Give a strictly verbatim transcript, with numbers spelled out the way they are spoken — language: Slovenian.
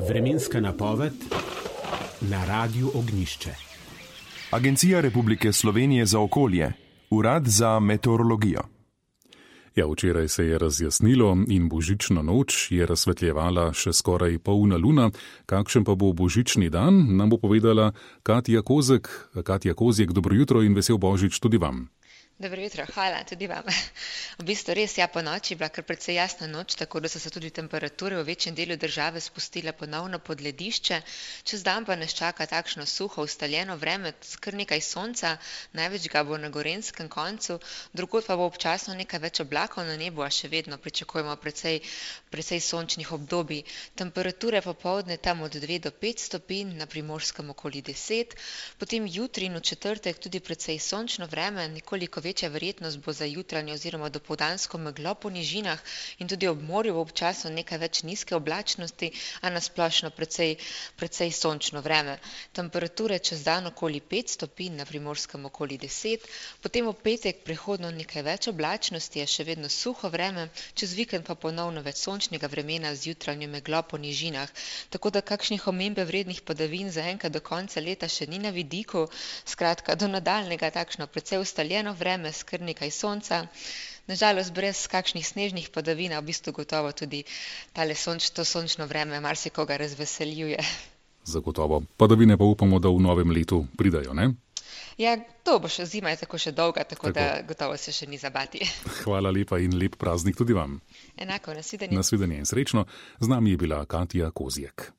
Vremenska napoved na Radiu Ognjišče. Agencija Republike Slovenije za okolje, Urad za meteorologijo. Ja, včeraj se je razjasnilo in božično noč je razsvetljevala še skoraj polna luna. Kakšen pa bo božični dan, nam bo povedala Katja Kozek. Katja Kozjek, dobro jutro in vesel božič tudi vam. Dobro jutro, hvala tudi vam. V bistvu res, ja, po noči bila kar precej jasna noč, tako da so se tudi temperature v večjem delu države spustile ponovno pod ledišče. Čez dan pa nas čaka takšno suho, ustaljeno vreme, kar nekaj sonca, največ ga bo na Gorenjskem koncu, drugod pa bo občasno nekaj več oblakov na nebu, a še vedno pričakujemo precej, precej sončnih obdobij. Temperature popoldne tam od dve do pet stopinj, na Primorskem okoli deset, potem jutri in v četrtek tudi precej sončno vreme, nekoliko večja verjetnost bo za jutranje oziroma dopoldansko meglo po nižinah in tudi ob morju bo občasno nekaj več nizke oblačnosti, a na splošno precej, precej sončno vreme. Temperature čez dan okoli pet stopinj, na Primorskem okoli deset, potem v petek prehodno nekaj več oblačnosti, je še vedno suho vreme, čez vikend pa ponovno več sončnega vremena z jutranjo meglo po nižinah. Tako da kakšnih omembe vrednih padavin zaenkrat do konca leta še ni na vidiku, skratka do nadaljnega takšno precej ustaljeno vreme, s kar nekaj sonca, nažalost brez kakšnih snežnih padavin, v bistvu gotovo tudi tale sonč, to sončno vreme marsikoga razveseljuje. Zagotovo. Padavine pa upamo, da v novem letu pridajo, ne? Ja, to bo še zima, je tako še dolga, tako, tako da gotovo se še ni zabati. Hvala lepa in lep praznik tudi vam. Enako, nasvidenje. Nasvidenje in srečno. Z nami je bila Katja Kozjek.